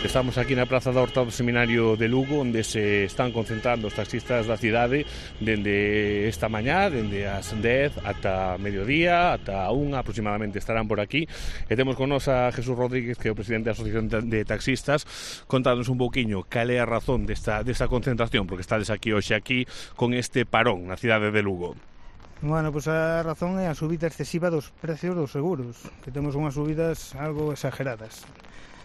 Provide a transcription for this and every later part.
Estamos aquí na Praza da Horta do Seminario de Lugo, onde se están concentrando os taxistas da cidade dende esta mañá, dende as 10 ata mediodía, ata a 1 aproximadamente estarán por aquí. E temos con nos a Jesús Rodríguez, que é o presidente da Asociación de Taxistas, contándonos un pouquiño cal é a razón desta concentración, porque estades aquí hoxe aquí con este parón na cidade de Lugo. Bueno, pois a razón é a subida excesiva dos precios dos seguros, que temos unhas subidas algo exageradas.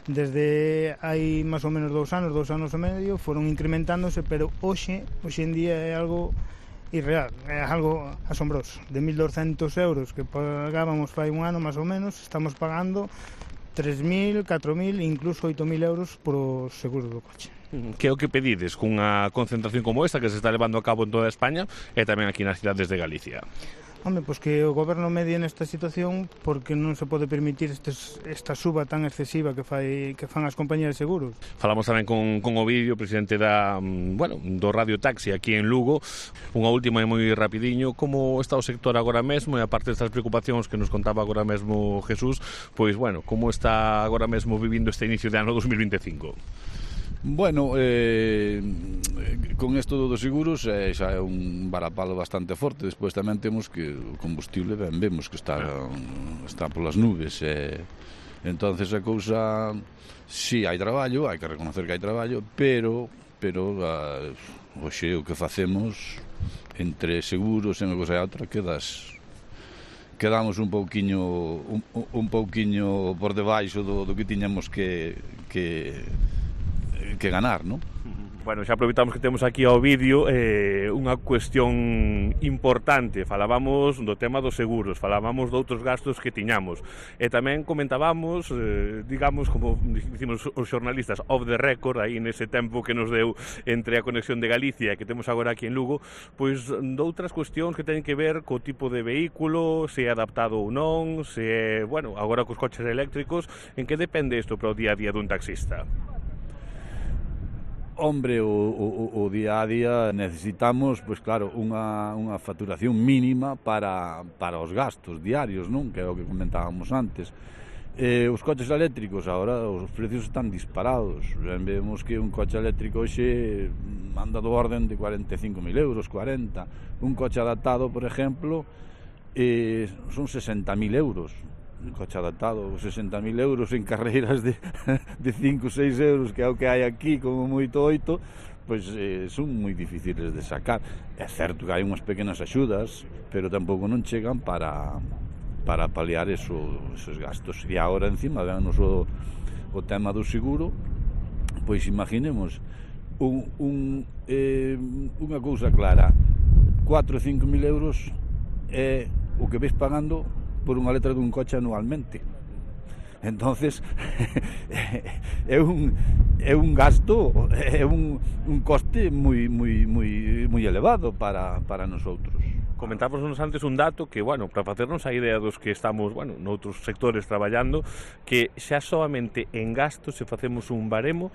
Desde hai máis ou menos 2 anos e medio, foron incrementándose, pero hoxe en día é algo irreal, é algo asombroso. De 1.200 euros que pagábamos fai un ano máis ou menos, estamos pagando 3.000, 4.000, incluso 8.000 euros por seguros do coche. Que é o que pedides cunha concentración como esta que se está levando a cabo en toda España e tamén aquí nas cidades de Galicia? Home, pois que o goberno medie nesta situación, porque non se pode permitir esta suba tan excesiva que fan as compañías de seguros. Falamos tamén con Ovidio, presidente do Radio Taxi aquí en Lugo. Unha última e moi rapidiño, como está o sector agora mesmo, e aparte destas preocupacións que nos contaba agora mesmo Jesús, pois, como está agora mesmo vivindo este inicio de ano 2025? Bueno, con isto dos seguros xa é un varapalo bastante forte. Despois tamén temos que o combustible vemos que está polas nubes, entonces a cousa, si hai traballo, hai que reconocer que hai traballo, pero hoxe o que facemos entre seguros e unha cousa e outra quedamos un pouquiño por debaixo do que tiñamos que ganar, non? Bueno, xa aproveitamos que temos aquí ao vídeo unha cuestión importante. Falábamos do tema dos seguros, falábamos de outros gastos que tiñamos e tamén comentábamos, digamos, como dicimos os xornalistas, off the record, aí nese tempo que nos deu entre a conexión de Galicia que temos agora aquí en Lugo, pois de outras cuestións que teñen que ver co tipo de vehículo, se é adaptado ou non, se é, agora cos coches eléctricos, en que depende isto para o día a día dun taxista? Hombre, o día a día necesitamos, pois claro, unha facturación mínima para os gastos diarios, non? Que é o que comentábamos antes. Os coches eléctricos, agora os precios están disparados. Vemos que un coche eléctrico hoxe anda do orden de 45.000 euros, 40. Un coche adaptado, por exemplo, son 60.000 euros. Un coche adaptado, 60.000 euros en carreiras de 5 ou 6 euros, que é o que hai aquí, como moito 8, pois son moi difíciles de sacar. É certo que hai unhas pequenas axudas, pero tampouco non chegan para paliar esos gastos. E agora, encima, venos o tema do seguro, pois imaginemos unha cousa clara, 4 ou 5.000 euros é o que ves pagando por unha letra dun coche anualmente. Entonces é un gasto, é un coste moi elevado para nosotros. Comentábamos antes un dato que, para facernos a idea dos que estamos, noutros sectores traballando, que xa solamente en gastos, se facemos un baremo,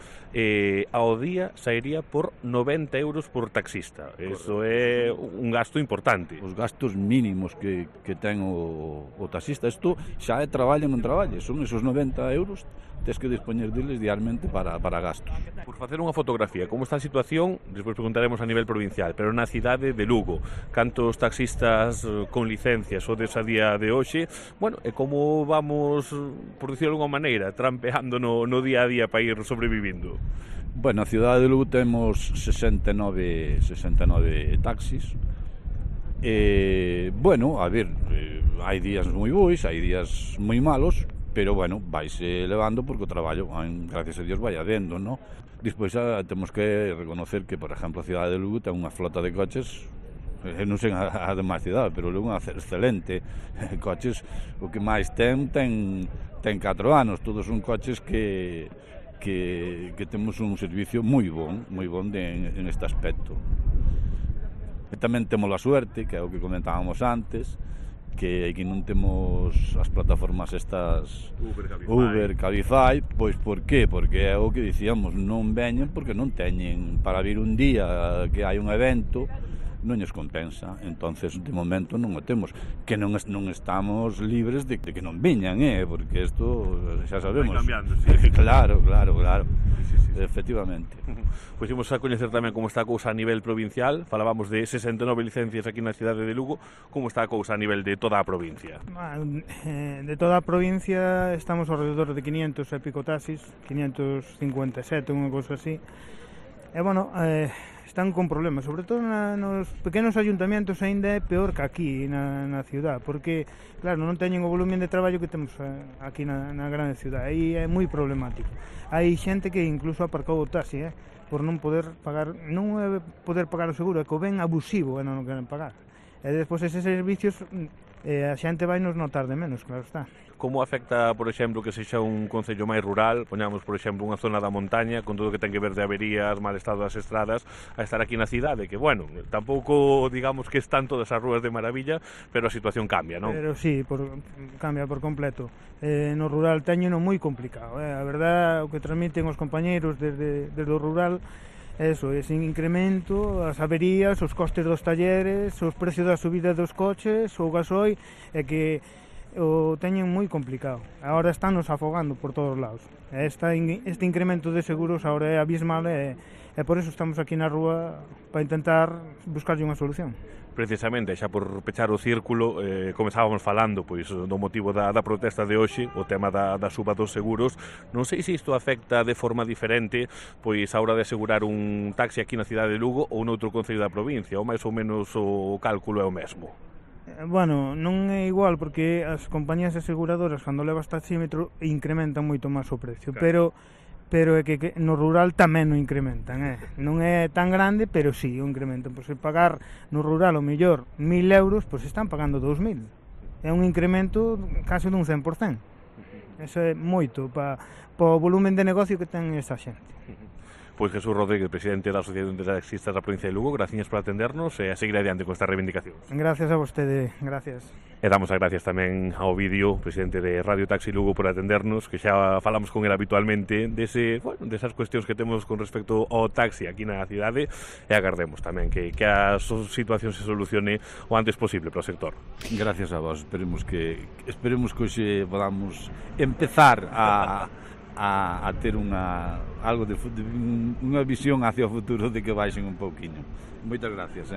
ao día sairía por 90 euros por taxista. Eso é un gasto importante. Os gastos mínimos que ten o taxista, isto xa é traballo non traballo, son esos 90 euros, tens que dispoñer deles diariamente para gastos. Por facer unha fotografía, como está a situación, despois preguntaremos a nivel provincial, pero na cidade de Lugo, cantos taxistas con licencias o desa día de hoxe, e como vamos, por dicirlo de alguma maneira, trampeando no día a día para ir sobrevivindo? Na cidade de Lugo temos 69 taxis. Hai días moi bons, hai días moi malos, pero vaise levando porque o traballo, gracias a Dios, vai habendo, non? Despois temos que reconocer que, por exemplo, a cidade de Lugo ten unha flota de coches, non sei a demais cidade, pero Lugo é excelente. Coches, o que máis ten 4 anos, todos son coches que temos un servicio moi bon en este aspecto. E tamén temos a suerte, que é o que comentábamos antes, que aquí non temos as plataformas estas Uber, Cabify, pois por qué? Porque é o que dicíamos, non veñen porque non teñen para vir un día que hai un evento, non lles compensa. Entonces, de momento non o temos, que non estamos libres de que non viñan, porque isto xa sabemos. Vai cambiando, sí. Claro, Sí. efectivamente. Pois imos a coñecer tamén como está a cousa a nivel provincial. Falábamos de 69 licencias aquí na cidade de Lugo. Como está a cousa a nivel de toda a provincia? De toda a provincia estamos ao redor de 500 e pico taxis, 557, unha cousa así. E, bueno, están con problemas, sobre todo nos pequenos ayuntamientos aínda é peor que aquí na ciudad, porque, claro, non teñen o volumen de traballo que temos aquí na grande ciudad, aí é moi problemático. Hai xente que incluso aparcou o taxi, por non poder pagar, non é poder pagar o seguro, é que o ven abusivo e non o queren pagar. E despois eses servicios a xente vai nos notar de menos, claro está. Como afecta, por exemplo, que sexa un concello máis rural, poñamos, por exemplo, unha zona da montaña, con todo o que ten que ver de averías, mal estado das estradas, a estar aquí na cidade, que, bueno, tampouco, digamos, que están todas as rúas de maravilla, pero a situación cambia, non? Pero sí, cambia por completo. No rural teñeno moi complicado, a verdad, o que transmiten os compañeiros desde o rural, eso, ese incremento, as averías, os costes dos talleres, os precios da subida dos coches, o gasoil, é que o teñen moi complicado. Agora estánnos afogando por todos os lados. Este incremento de seguros agora é abismal e por eso estamos aquí na rúa para intentar buscarlle unha solución. Precisamente, xa por pechar o círculo, comezábamos falando pois do motivo da protesta de hoxe, o tema da suba dos seguros. Non sei se isto afecta de forma diferente pois a hora de asegurar un taxi aquí na cidade de Lugo ou noutro concello da provincia, ou máis ou menos o cálculo é o mesmo. Bueno, non é igual porque as compañías aseguradoras cando levas taxímetro incrementan moito máis o precio, claro. Pero é que no rural tamén o incrementan, non é tan grande, pero sí o incrementan. Pois se pagar no rural o mellor 1.000 euros, pois están pagando 2.000. É un incremento case dun 100%. Eso é moito para o volumen de negocio que ten esa xente. Pois Jesús Rodríguez, presidente da Asociación de Taxistas da provincia de Lugo, gracias por atendernos e a seguir adiante con esta reivindicación. Gracias a vostede, gracias. E damos as gracias tamén ao Vídeo, presidente de Radio Taxi Lugo, por atendernos, que xa falamos con ele habitualmente desas cuestións que temos con respecto ao taxi aquí na cidade, e agardemos tamén que a situación se solucione o antes posible para o sector. Gracias a vos, esperemos que hoxe podamos empezar a ter algo unha visión hacia o futuro de que baixen un pouquiño. Moitas gracias.